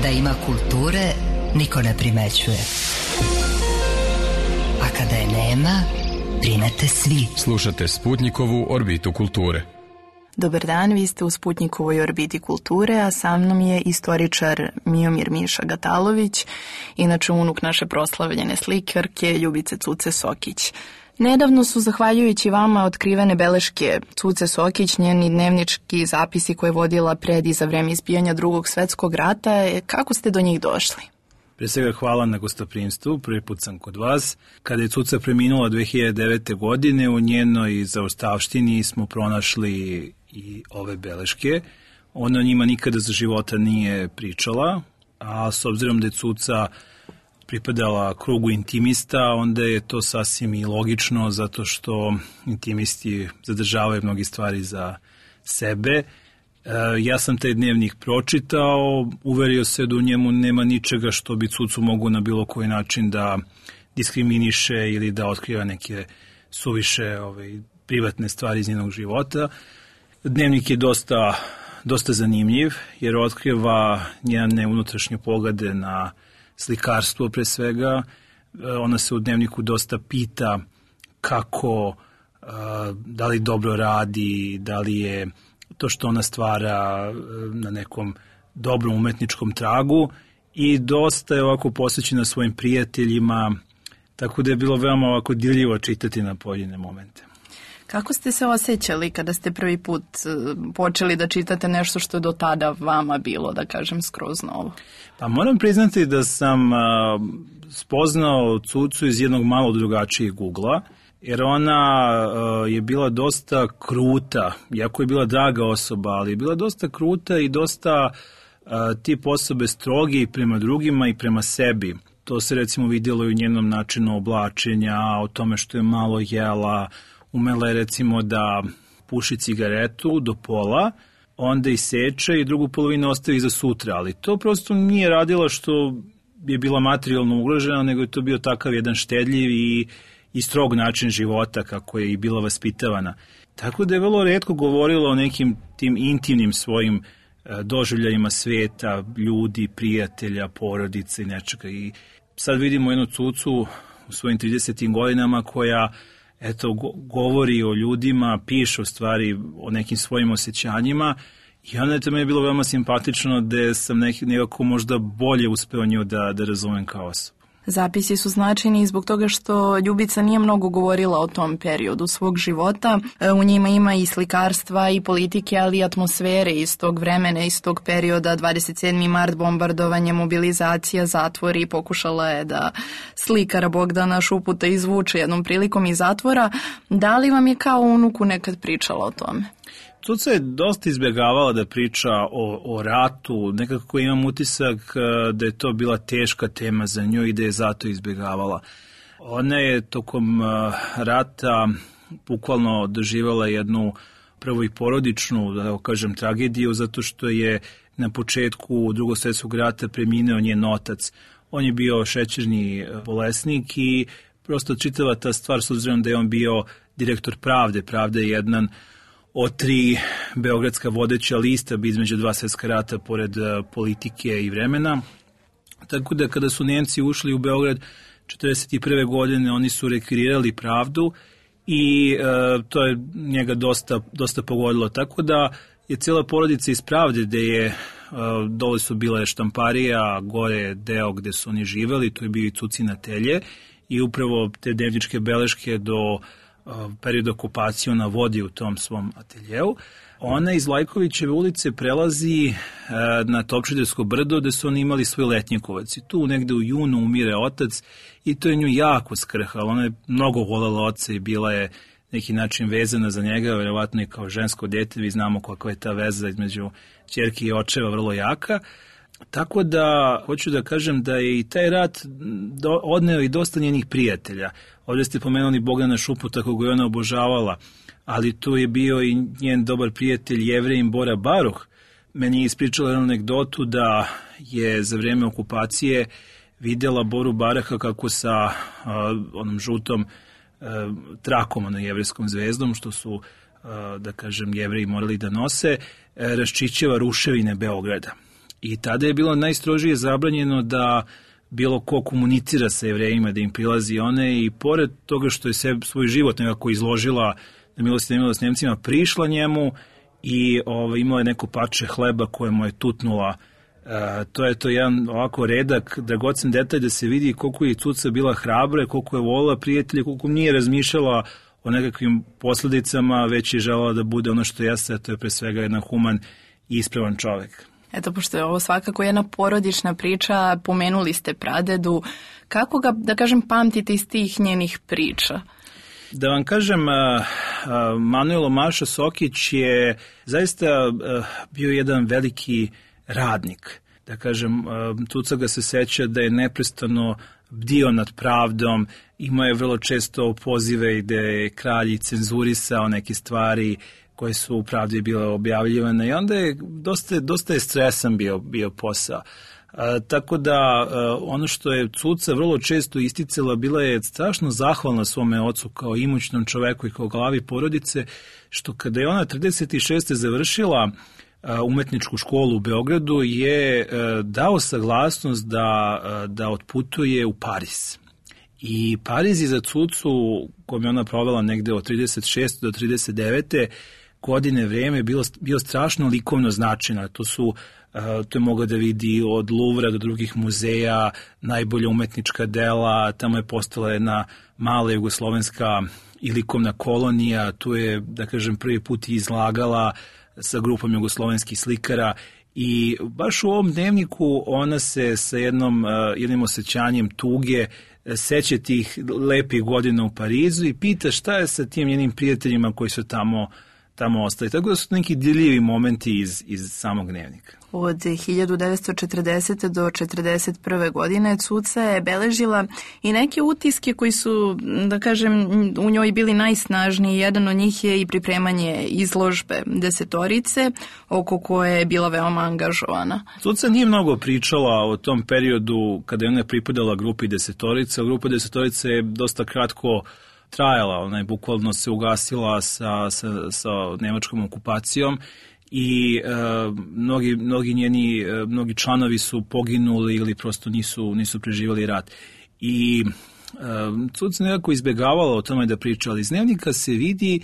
Kada ima kulture, niko ne primećuje. A kada je nema, primete svi. Slušate Sputnikovu orbitu kulture. Dobar dan, vi ste u Sputnikovoj orbiti kulture, a sa mnom je istoričar Miomir Miša Gatalović, inače unuk naše proslavljene slikarke Ljubice Cuce Sokić. Nedavno su, zahvaljujući vama, otkrivene beleške Cuce Sokić, njeni dnevnički zapisi koje je vodila pred i za vreme izbijanja Drugog svetskog rata. Kako ste do njih došli? Pre svega hvala na gostoprimstvu, prvi put sam kod vas. Kada je Cuca preminula 2009. godine, u njenoj zaostavštini smo pronašli i ove beleške. Ona o njima nikada za života nije pričala, a s obzirom da je Cuca pripadala krugu intimista, onda je to sasvim i logično, zato što intimisti zadržavaju mnogi stvari za sebe. Ja sam taj dnevnik pročitao, uverio se da u njemu nema ničega što bi Cucu mogu na bilo koji način da diskriminiše ili da otkriva neke suviše privatne stvari iz njenog života. Dnevnik je dosta zanimljiv, jer otkriva njene unutrašnje poglede na slikarstvo pre svega. Ona se u dnevniku dosta pita kako, da li dobro radi, da li je to što ona stvara na nekom dobrom umetničkom tragu, i dosta je ovako posvećena svojim prijateljima, tako da je bilo veoma ovako dirljivo čitati na pojedine momente. Kako ste se osjećali kada ste prvi put počeli da čitate nešto što je do tada vama bilo, da kažem, skroz novo? Pa moram priznati da sam spoznao Cucu iz jednog malo drugačijeg ugla, jer ona je bila dosta kruta, iako je bila draga osoba, ali je bila dosta kruta i dosta tip osobe strogi prema drugima i prema sebi. To se recimo vidjelo i u njenom načinu oblačenja, o tome što je malo jela. Umela je recimo da puši cigaretu do pola, onda iseče i drugu polovinu ostavi za sutra, ali to prosto nije radila što je bila materijalno ugrožena, nego je to bio takav jedan štedljiv i strog način života kako je i bila vaspitavana. Tako da je vrlo retko govorila o nekim tim intimnim svojim doživljajima sveta, ljudi, prijatelja, porodice i nečega. I sad vidimo jednu Cucu u svojim 30. godinama koja govori o ljudima, piše u stvari o nekim svojim osjećanjima, i onda je to meni bilo veoma simpatično da sam nekako možda bolje uspeo nju da razumem kao osobu. Zapisi su značajni zbog toga što Ljubica nije mnogo govorila o tom periodu svog života. U njima ima i slikarstva i politike, ali i atmosfere iz tog vremena, iz tog perioda. 27. mart, bombardovanje, mobilizacija, zatvori. Pokušala je da slikara Bogdana Šuputa izvuče jednom prilikom iz zatvora. Da li vam je kao unuku nekad pričala o tome? Cuca je dosta izbjegavala da priča o ratu, nekako imam utisak da je to bila teška tema za nju i da je zato izbjegavala. Ona je tokom rata bukvalno doživjela jednu prvo i porodičnu, da kažem, tragediju, zato što je na početku Drugog svjetskog rata preminuo njen otac. On je bio šećerni bolesnik i prosto čitava ta stvar, s obzirom da je on bio direktor Pravde. Pravda je jedan od 3 beogradska vodeća lista između 2 svjetska rata pored politike i vremena. Tako da kada su Nemci ušli u Beograd 1941. godine, oni su rekvirirali Pravdu i to je njega dosta pogodilo. Tako da je cijela porodica iz Pravde, gde je dole su bile štamparija, gore je deo gde su oni živeli, to je bio i Cucin atelje, i upravo te dnevničke beleške do period okupacije ona vodi u tom svom ateljeu. Ona iz Lajkovićeve ulice prelazi na Topčidersko brdo, gde su oni imali svoj letnjikovac. I tu negde u junu umire otac i to je nju jako skrhalo. Ona je mnogo voljela oca i bila je neki način vezana za njega, verovatno i kao žensko dete. Vi znamo kakva je ta veza između ćerke i očeva vrlo jaka. Tako da, hoću da kažem da je i taj rat odneo i dosta njenih prijatelja. Ovdje ste pomenuli Bogdana Šuputa, koga je ona obožavala, ali tu je bio i njen dobar prijatelj Jevrejin Bora Baruh. Meni je ispričala jednu anegdotu da je za vreme okupacije vidjela Boru Baraha kako sa onom žutom trakom, jevrejskom zvezdom, što su, da kažem, Jevreji morali da nose, raščišćava ruševine Beograda. I tada je bilo najstrožije zabranjeno da bilo ko komunicira sa Jevrejima, da im prilazi. Ona je i pored toga što je svoj život nekako izložila na milost i nemilost Nemcima, prišla njemu i imala je neko parče hleba koje mu je tutnula. To je to jedan ovako redak, dragocen detalj da se vidi koliko je Cuca bila hrabra, koliko je volila prijatelje, koliko nije razmišljala o nekakvim posljedicama, već je želela da bude ono što jeste, a to je pre svega jedan human i ispravan čovjek. Eto, pošto je ovo svakako jedna porodična priča, pomenuli ste pradedu, kako ga, da kažem, pamtite iz tih njenih priča? Da vam kažem, Manuel Omaša Sokić je zaista bio jedan veliki radnik. Da kažem, Cuca ga se seća da je neprestano bdio nad pravdom, imao je vrlo često pozive gde je kralj cenzurisao neke stvari koje su u pravdi bile objavljivane i onda je dosta je stresan bio posao. Tako da ono što je Cuca vrlo često isticala, bila je strašno zahvalna svome ocu kao imućnom čoveku i kao glavi porodice, što kada je ona 36. završila umetničku školu u Beogradu, je dao saglasnost da otputuje u Pariz. I Pariz je za Cucu, kojom je ona provela negde od 36. do 39. godine vreme, bio strašno likovno značajno. To je mogla da vidi od Luvra do drugih muzeja, najbolja umetnička dela, tamo je postala jedna mala jugoslovenska i likovna kolonija, tu je, da kažem, prvi put izlagala sa grupom jugoslovenskih slikara i baš u ovom dnevniku ona se sa jednim osjećanjem tuge seća tih lepih godina u Parizu i pita šta je sa tim njenim prijateljima koji su tamo ostali. Tako da su neki dirljivi momenti iz samog dnevnika. Od 1940. do 1941. godine Cuca je beležila i neke utiske koji su, da kažem, u njoj bili najsnažniji. Jedan od njih je i pripremanje izložbe Desetorice, oko koje je bila veoma angažovana. Cuca nije mnogo pričala o tom periodu kada je ona pripadala grupi Desetorica. Grupa Desetorica je dosta kratko trajala, ona je bukvalno se ugasila sa nemačkom okupacijom i mnogi članovi su poginuli ili prosto nisu preživjeli rat. I Cuca nekako izbjegavala o tome da priča, ali iz dnevnika se vidi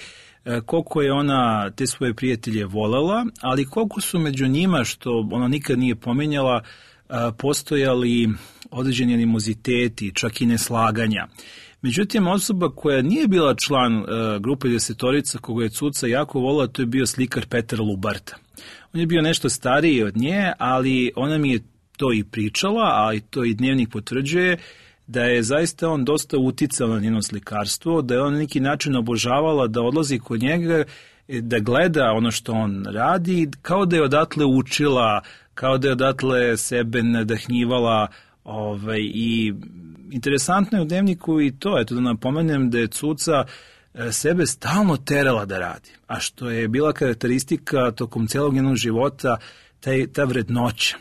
koliko je ona te svoje prijatelje volela, ali koliko su među njima, što ona nikad nije pominjala, postojali određeni animoziteti, čak i neslaganja. Međutim, osoba koja nije bila član grupe Desetorica, koga je Cuca jako volila, to je bio slikar Petar Lubarta. On je bio nešto stariji od nje, ali ona mi je to i pričala, ali to i dnevnik potvrđuje, da je zaista on dosta uticao na njeno slikarstvo, da je on na neki način obožavala da odlazi kod njega, da gleda ono što on radi, kao da je odatle učila, kao da je odatle sebe nadahnjivala. I interesantno je u dnevniku i to, da napomenem da je Cuca sebe stalno terala da radi, a što je bila karakteristika tokom celog njenog života, ta vrednoća.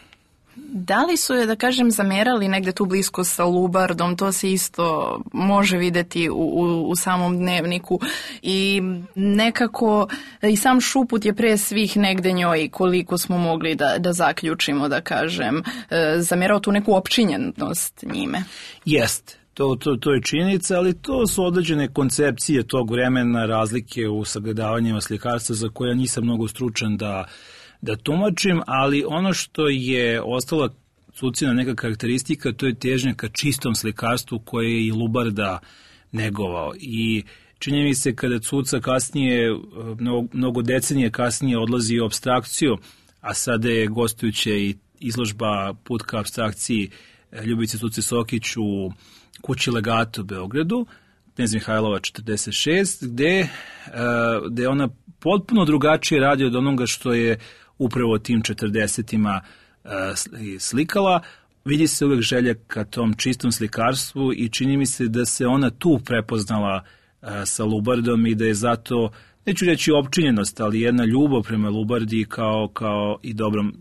Da li su je, da kažem, zamerali negde tu blisko sa Lubardom, to se isto može videti u samom dnevniku i nekako i sam Šuput je pre svih negde njoj, koliko smo mogli da zaključimo, da kažem, zamerao tu neku opčinjenost njime. Jest. To je činjenica, ali to su određene koncepcije tog vremena, razlike u sagledavanjima slikarstva za koje nisam mnogo stručan da tumačim, ali ono što je ostala Cucina neka karakteristika, to je težnja ka čistom slikarstvu koje je i Lubarda negovao. I čini mi se kada Cuca kasnije, mnogo decenije kasnije odlazi u apstrakciju, a sada je gostujuća i izložba Put ka apstrakciji Ljubice Cuce Sokić u kući Legato u Beogradu, Knez Mihajlova 46, gde ona potpuno drugačije radi od onoga što je upravo tim 40-ima slikala. Vidi se uvek želja ka tom čistom slikarstvu i čini mi se da se ona tu prepoznala sa Lubardom i da je zato, neću reći opčinjenost, ali jedna ljubav prema Lubardi kao i dobrom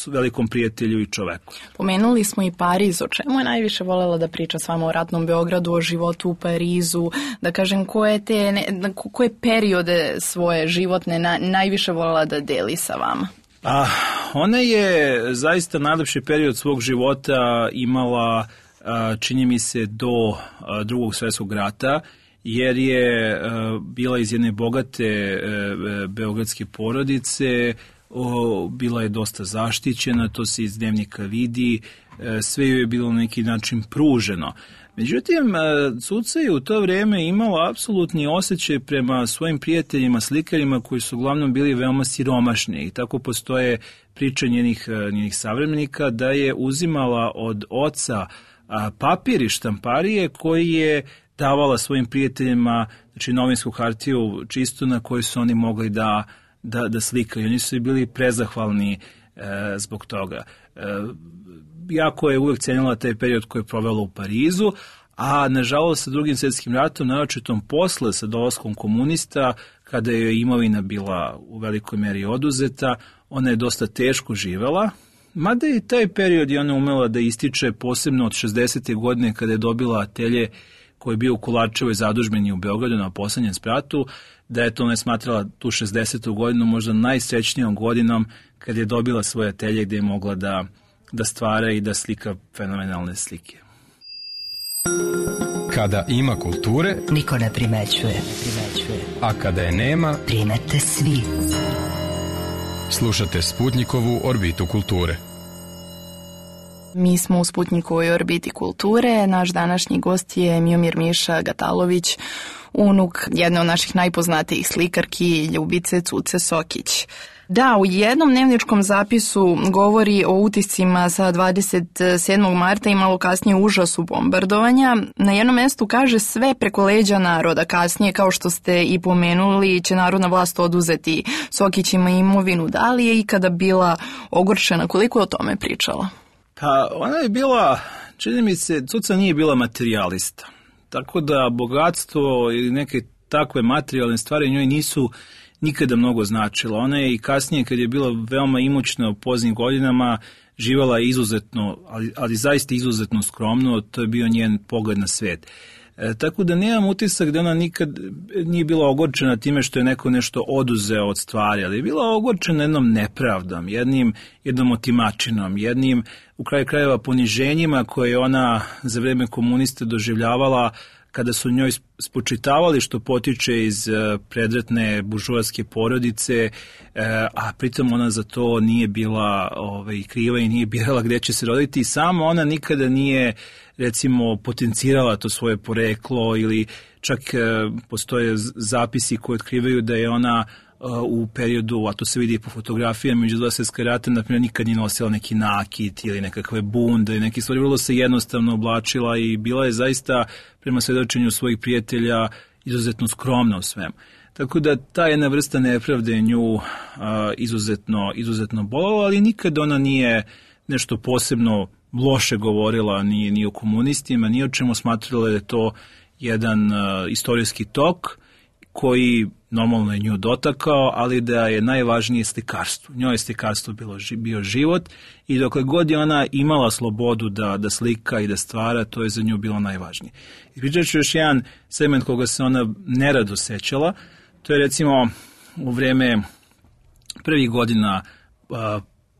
velikom prijatelju i čoveku. Pomenuli smo i Pariz, o čemu je najviše voljela da priča s vama o ratnom Beogradu, o životu u Parizu, da kažem koje periode svoje životne najviše voljela da deli sa vama? Ona je zaista najlepši period svog života imala, čini mi se, do Drugog svjetskog rata, jer je bila iz jedne bogate beogradske porodice, bila je dosta zaštićena, to se iz dnevnika vidi, sve joj je bilo na neki način pruženo. Međutim, Cuca je u to vrijeme imala apsolutni osjećaj prema svojim prijateljima, slikarima koji su uglavnom bili veoma siromašni i tako postoje priče njenih savremenika da je uzimala od oca papir i štamparije koji je davala svojim prijateljima, znači novinsku hartiju čisto na kojoj su oni mogli da slikaju. Oni su bili prezahvalni zbog toga. Jako je uvek cenila taj period koji je provela u Parizu, a nažalost sa Drugim svjetskim ratom, naročitom posle sa dolaskom komunista, kada je imovina bila u velikoj meri oduzeta, ona je dosta teško živela, mada i taj period je ona umela da ističe posebno od 60. godine kada je dobila atelje koji je bio u Kolarčevoj zadužbini u Beogradu na poslednjem spratu, da je to ne smatrala tu 60. godinu možda najsrećnijom godinom kada je dobila svoje atelje gde je mogla da stvara i da slika fenomenalne slike. Kada ima kulture, niko ne primećuje. A kada je nema, primete svi. Slušate Sputnikovu orbitu kulture. Mi smo u Sputnikovoj orbiti kulture. Naš današnji gost je Miomir Miša Gatalović, unuk jedne od naših najpoznatijih slikarki, Ljubice Cuce Sokić. Da, u jednom dnevničkom zapisu govori o utiscima sa 27. marta i malo kasnije užasu bombardovanja. Na jednom mjestu kaže sve preko leđa naroda. Kasnije, kao što ste i pomenuli, će narodna vlast oduzeti Sokićima imovinu. Da li je ikada bila ogorčena? Koliko je o tome pričala? Pa ona je bila, čini mi se, Cuca nije bila materijalista. Tako da bogatstvo ili neke takve materijalne stvari njoj nisu nikada mnogo značila. Ona je i kasnije, kad je bila veoma imućna u poznim godinama, živjela izuzetno, ali zaista izuzetno skromno, to je bio njen pogled na svet. Tako da nemam utisak da ona nikad nije bila ogorčena time što je neko nešto oduzeo od stvari, ali je bila ogorčena jednom nepravdom, jednom otimačinom, jednim u kraju krajeva poniženjima koje je ona za vreme komunista doživljavala kada su njoj spočitavali što potiče iz predratne buržoaske porodice, a pritom ona za to nije bila kriva i nije birala gde će se roditi i samo ona nikada nije, recimo, potencirala to svoje poreklo ili čak postoje zapisi koji otkrivaju da je ona u periodu, a to se vidi po fotografijama među dva svjetska rata, naprimjer, nikad nije nosila neki nakit ili nekakve bunde i neke stvari, vrlo se jednostavno oblačila i bila je zaista, prema svedočenju svojih prijatelja, izuzetno skromna u svemu. Tako da ta jedna vrsta nepravde nju izuzetno bolala, ali nikad ona nije nešto posebno loše govorila ni o komunistima, ni o čemu, smatrala da je to jedan istorijski tok koji normalno je nju dotakao, ali da je najvažnije slikarstvo. Njoj je slikarstvo bio život i dokle god je ona imala slobodu da slika i da stvara, to je za nju bilo najvažnije. Ispričat ću još jedan segment koga se ona nerado sećala, to je recimo u vreme prvih godina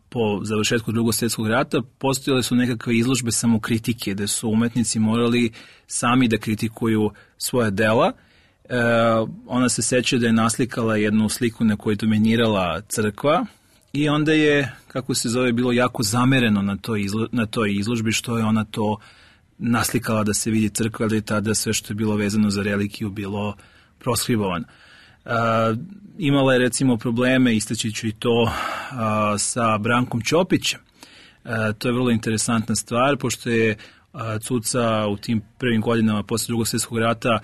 po završetku Drugog svjetskog rata postojale su nekakve izložbe samokritike, gde su umetnici morali sami da kritikuju svoja dela. Ona se seća da je naslikala jednu sliku na kojoj je dominirala crkva i onda je, kako se zove, bilo jako zamereno na toj izložbi što je ona to naslikala da se vidi crkva, da je tada sve što je bilo vezano za relikiju bilo proskribovano. Imala je recimo probleme, istaći ću i to, sa Brankom Ćopićem. To je vrlo interesantna stvar, pošto je Cuca u tim prvim godinama posle Drugog svjetskog rata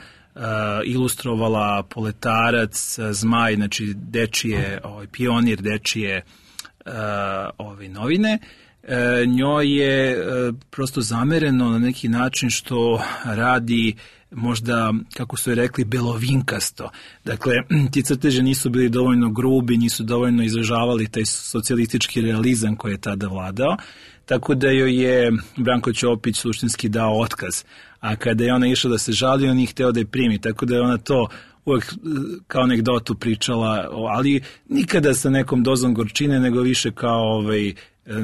ilustrovala Poletarac, Zmaj, znači dečije, pionir dečije novine. Njoj je prosto zamereno na neki način što radi možda, kako su je rekli, belovinkasto. Dakle, ti crteže nisu bili dovoljno grubi, nisu dovoljno izražavali taj socijalistički realizam koji je tada vladao, tako da joj je Branko Ćopić suštinski dao otkaz. A kada je ona išla da se žali, on nije hteo da je primi, tako da je ona to uvek kao anegdotu pričala, ali nikada sa nekom dozom gorčine, nego više kao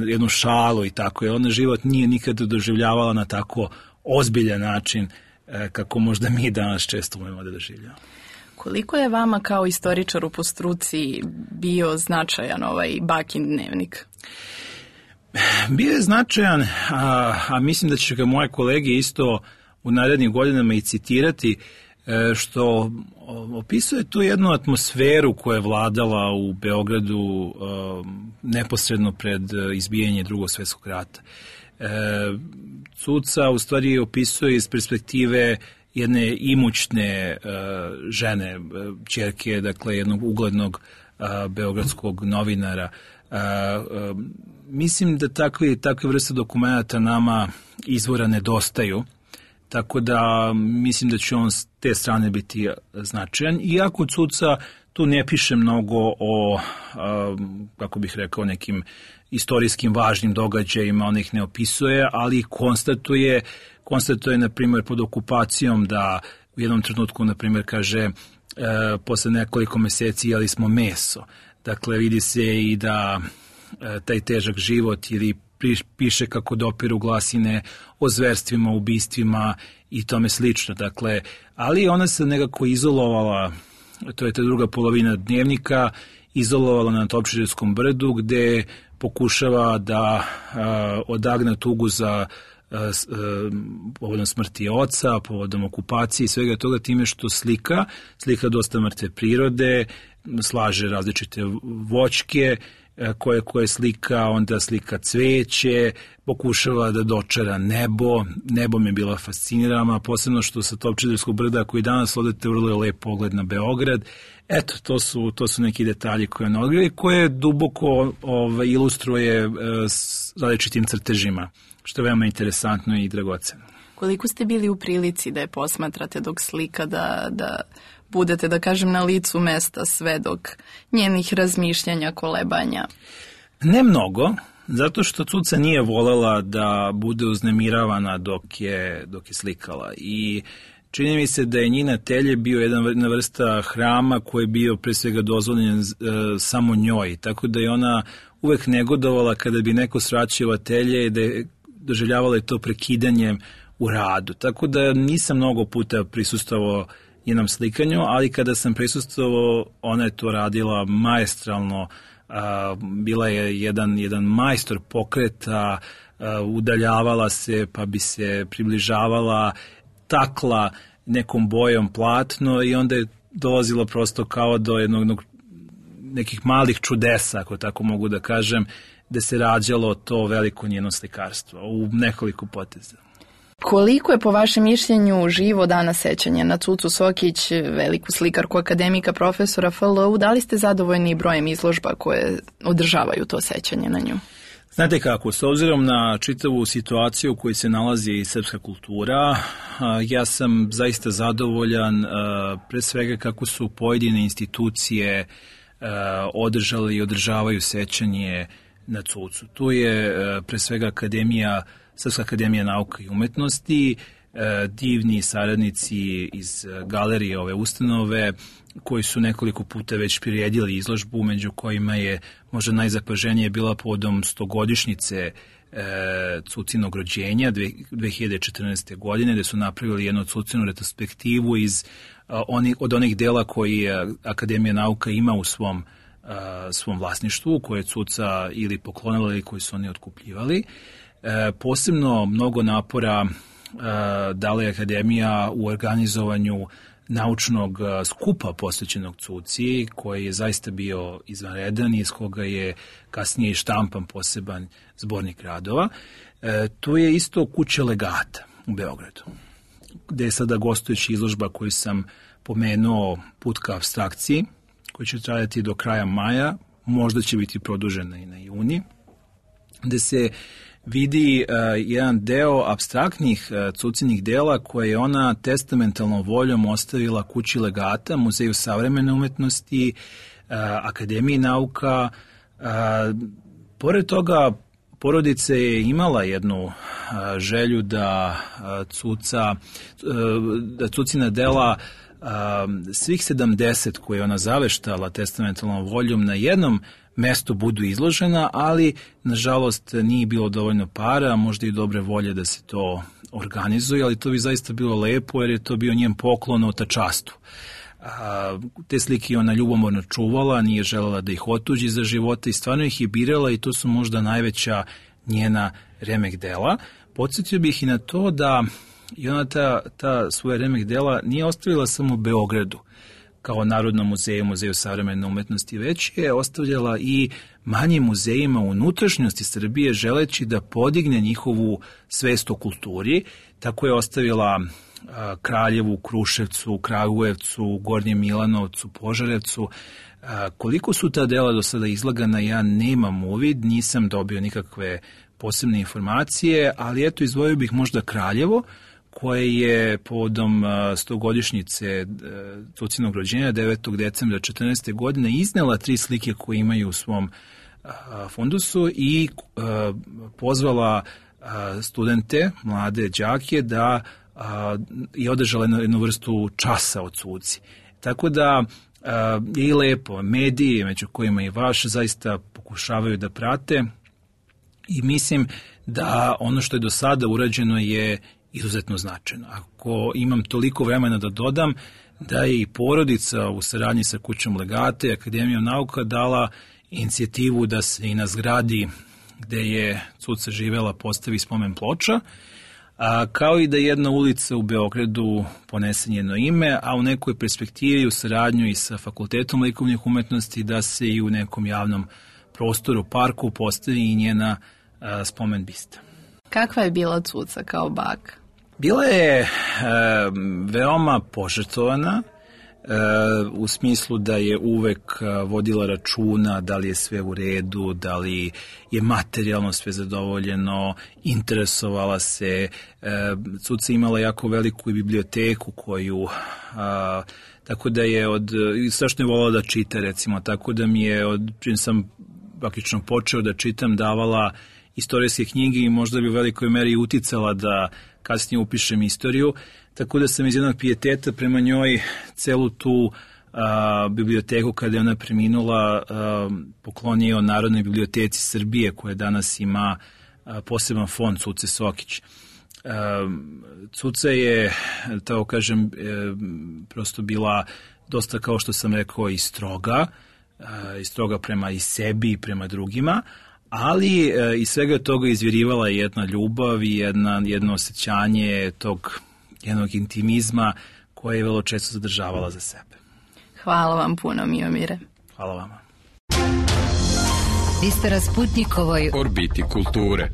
jednu šalu i tako. Ona život nije nikada doživljavala na tako ozbiljan način kako možda mi danas često umemo da doživljamo. Koliko je vama kao istoričaru po struci bio značajan ovaj bakin dnevnik? Bio je značajan, a mislim da će ga moje kolege isto u narednim godinama i citirati, što opisuje tu jednu atmosferu koja je vladala u Beogradu neposredno pred izbijanje Drugog svjetskog rata. Cuca u stvari opisuje iz perspektive jedne imućne žene, ćerke, dakle jednog uglednog beogradskog novinara. Mislim da takve vrste dokumenta nama izvora nedostaju, tako da mislim da će on s te strane biti značajan. Iako Cuca tu ne piše mnogo o, kako bih rekao, nekim istorijskim važnim događajima, on ih ne opisuje, ali konstatuje, na primjer, pod okupacijom da u jednom trenutku, na primjer, kaže posle nekoliko meseci jeli smo meso. Dakle, vidi se i da taj težak život ili piše kako dopiru glasine o zverstvima, ubistvima i tome slično. Dakle, ali ona se nekako izolovala, to je ta druga polovina dnevnika, izolovala na Topčiderskom brdu gde pokušava da odagna tugu za povodom smrti oca, povodom okupacije i svega toga time što slika dosta mrtve prirode, slaže različite voćke koje slika, onda slika cveće, pokušava da dočara nebo mi je bila fascinirana, posebno što sa Topčiderskog brda koji danas odete vrlo je lep pogled na Beograd. Eto, to su neki detalji koje duboko ilustruje s različitim crtežima, što je veoma interesantno i dragoceno. Koliko ste bili u prilici da je posmatrate dok slika, da budete, da kažem, na licu mesta svedok njenih razmišljanja, kolebanja? Ne mnogo, zato što Cuca nije volela da bude uznemiravana dok je slikala i čini mi se da je njen atelje bio jedna vrsta hrama koji je bio pre svega dozvoljen samo njoj, tako da je ona uvek negodovala kada bi neko sraćio atelje i da je doživljavala to prekidanjem u radu. Tako da nisam mnogo puta prisustvovao njenom slikanju, ali kada sam prisustvovao, ona je to radila maestralno, bila je jedan majstor pokreta, udaljavala se pa bi se približavala, takla nekom bojom platno i onda je dolazilo prosto kao do nekih malih čudesa, ako tako mogu da kažem, gde se rađalo to veliko njeno slikarstvo u nekoliko poteza. Koliko je po vašem mišljenju živo danas sećanje na Cucu Sokić, veliku slikarku, akademika, profesora FLU? Da li ste zadovoljni brojem izložba koje održavaju to sećanje na nju? Znate kako, s obzirom na čitavu situaciju u kojoj se nalazi srpska kultura, ja sam zaista zadovoljan pre svega kako su pojedine institucije održale i održavaju sećanje na Cucu. Tu je pre svega Srpska akademija nauka i umetnosti, divni saradnici iz galerije ove ustanove koji su nekoliko puta već priredili izložbu, među kojima je možda najzapaženije bila povodom 100-godišnjice Cucinog rođenja 2014. godine, gde su napravili jednu Cucinu retrospektivu od onih dela koji Akademija nauka ima u svom vlasništvu, koje je Cuca ili poklonila ili koji su oni otkupljivali. Posebno mnogo napora dala je Akademija u organizovanju naučnog skupa posvećenog Cuci, koji je zaista bio izvanredan i iz koga je kasnije i štampan poseban zbornik radova. Tu je isto kuća legata u Beogradu, gde je sada gostujuća izložba koju sam pomenuo, Put ka apstrakciji, koji će trajati do kraja maja, možda će biti produžena i na juni, gde se vidi jedan deo apstraktnih Cucinih dela koje je ona testamentalnom voljom ostavila kući legata, Muzeju savremene umetnosti, Akademiji nauka. Pored toga, porodica je imala jednu želju da Cucina dela svih 70 koje je ona zaveštala testamentalnom voljom na jednom mestu budu izložena, ali nažalost nije bilo dovoljno para, možda i dobre volje da se to organizuje, ali to bi zaista bilo lepo jer je to bio njen poklon otačastu. Te slike ona ljubomorno čuvala, nije želela da ih otuđi za života i stvarno ih je birala i to su možda najveća njena remek dela. Podsjetio bih i na to da i ona ta svoja remek dela nije ostavila samo u Beogradu kao Narodnom muzeju, Muzeju savremene umetnosti, već je ostavljala i manjim muzejima u unutrašnjosti Srbije želeći da podigne njihovu svest o kulturi. Tako je ostavila Kraljevu, Kruševcu, Kragujevcu, Gornjem Milanovcu, Požarevcu. Koliko su ta dela do sada izlagana, ja nemam uvid, nisam dobio nikakve posebne informacije, ali eto izdvojio bih možda Kraljevo, koje je povodom 100-godišnjice Cucinog rođenja 9. decembra 14. godine iznela 3 slike koje imaju u svom fundusu i pozvala studente, mlade đake da je održala jednu vrstu časa o Cuci. Tako da je i lepo, mediji, među kojima i vaš, zaista pokušavaju da prate i mislim da ono što je do sada urađeno je izuzetno značajno. Ako imam toliko vremena da dodam, da je i porodica u saradnji sa Kućom legata i Akademijom nauka dala inicijativu da se i na zgradi gde je Cuca živela postavi spomen ploča, kao i da jedna ulica u Beogradu ponese njeno ime, a u nekoj perspektivi u saradnju i sa Fakultetom likovnih umetnosti da se i u nekom javnom prostoru, parku postavi i njena spomen bista. Kakva je bila Cuca kao baka? Bila je veoma požrtvovana, u smislu da je uvek vodila računa da li je sve u redu, da li je materijalno sve zadovoljeno, interesovala se. Cuca imala jako veliku biblioteku koju, tako da je strašno je volala da čita, recimo, tako da mi je, čim sam praktično počeo da čitam, davala istorijske knjige i možda bi u velikoj meri uticala da kasnije upišem istoriju, tako da sam iz jednog pijeteta prema njoj celu tu biblioteku kada je ona preminula poklonio Narodnoj biblioteci Srbije koja danas ima poseban fond Cuce Sokić. Cuca je, tako kažem, prosto bila dosta, kao što sam rekao, i stroga prema i sebi i prema drugima, ali iz svega toga izvirivala je jedna ljubav i jedno osjećanje tog jednog intimizma koje je vrlo često zadržavala za sebe. Hvala vam puno, Miomire. Hvala vama. Vi ste na Sputnikovoj orbiti kulture.